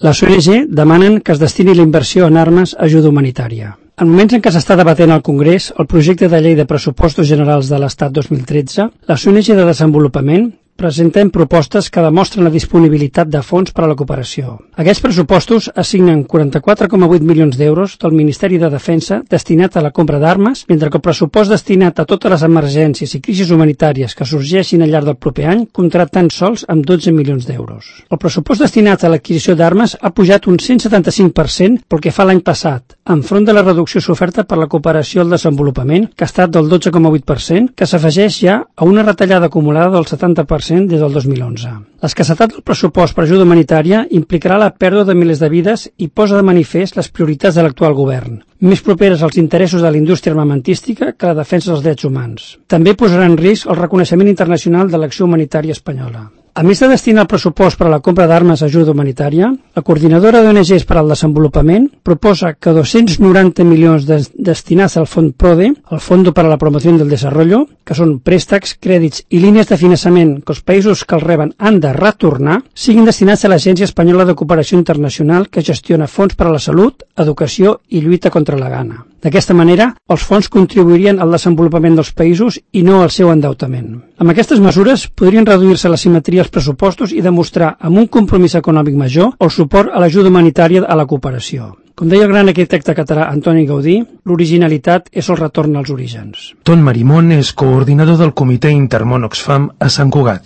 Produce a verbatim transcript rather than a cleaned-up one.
Les O N G demanen que es destini la inversió en armes a ajuda humanitària. En moments en què s'està debatent al Congrés el projecte de llei de pressupostos generals de l'Estat dos mil tretze, les O N G de desenvolupament presentem propostes que demostren la disponibilitat de fons per a la cooperació. Aquests pressupostos assignen quaranta-quatre coma vuit milions d'euros del Ministeri de Defensa destinat a la compra d'armes, mentre que el pressupost destinat a totes les emergències i crisis humanitàries que sorgeixin al llarg del proper any comptarà tan sols amb dotze milions d'euros. El pressupost destinat a l'adquisició d'armes ha pujat un cent setanta-cinc per cent pel que fa l'any passat, enfront de la reducció soferta per la cooperació al desenvolupament, que ha estat del dotze coma vuit per cent, que s'afegeix ja a una retallada acumulada del setanta per cent des del dos mil onze. L'escassetat del pressupost per ajuda humanitària implicarà la pèrdua de milers de vides i posa de manifest les prioritats de l'actual govern, més properes als interessos de la indústria armamentística que a la defensa dels drets humans. També posarà en risc el reconeixement internacional de l'acció humanitària espanyola. A més de destinar el pressupost per a la compra d'armes a ajuda humanitària, la coordinadora d'O N Ges per al desenvolupament proposa que dos-cents noranta milions de destinats al Fons PRODE, el Fondo para la Promoción del Desarrollo, que són préstecs, crèdits i línies de finançament que els països que els reben han de retornar, siguin destinats a l'Agència Espanyola de Cooperació Internacional que gestiona fons per a la salut, educació i lluita contra la gana. D'aquesta manera, els fons contribuirien al desenvolupament dels països i no al seu endeutament. Amb aquestes mesures podrien reduir-se la simetria als pressupostos i demostrar, amb un compromís econòmic major, el suport a l'ajuda humanitària a la cooperació. Com deia el gran arquitecte català Antoni Gaudí, l'originalitat és el retorn als orígens. Ton Marimón és coordinador del Comitè Intermón Oxfam a Sant Cugat.